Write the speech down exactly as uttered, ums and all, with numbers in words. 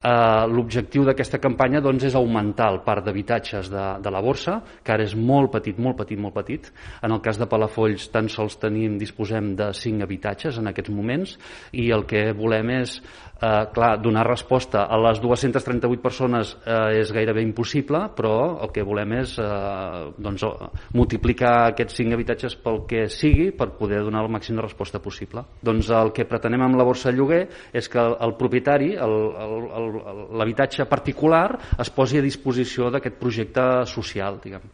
L'objectiu d'aquesta campanya doncs, és augmentar el parc d'habitatges de, de la borsa, que ara és molt petit, molt petit, molt petit. En el cas de Palafolls tan sols tenim, disposem de cinc habitatges en aquests moments, i el que volem és eh, clar, donar resposta a les dues-centes trenta-vuit persones eh, és gairebé impossible, però el que volem és eh, doncs, multiplicar aquests cinc habitatges pel que sigui per poder donar el màxim de resposta possible. Doncs el que pretenem amb la borsa de lloguer és que el, el propietari, el, el, el l'habitatge particular es posi a disposició d'aquest projecte social, diguem.